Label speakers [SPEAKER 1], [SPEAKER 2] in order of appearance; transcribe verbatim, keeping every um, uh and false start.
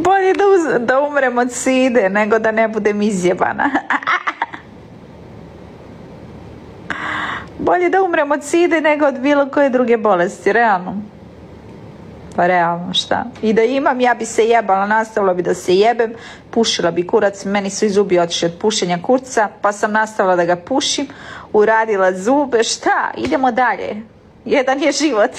[SPEAKER 1] Bolje da, uz, da umrem od side nego da ne budem izjebana. Bolje da umrem od side nego od bilo koje druge bolesti, realno. Pa realno, šta? I da imam, ja bi se jebala, nastavila bi da se jebem, pušila bi kurac, meni su i zubi otišli od pušenja kurca, pa sam nastavila da ga pušim, uradila zube, šta? Idemo dalje. Jedan je život.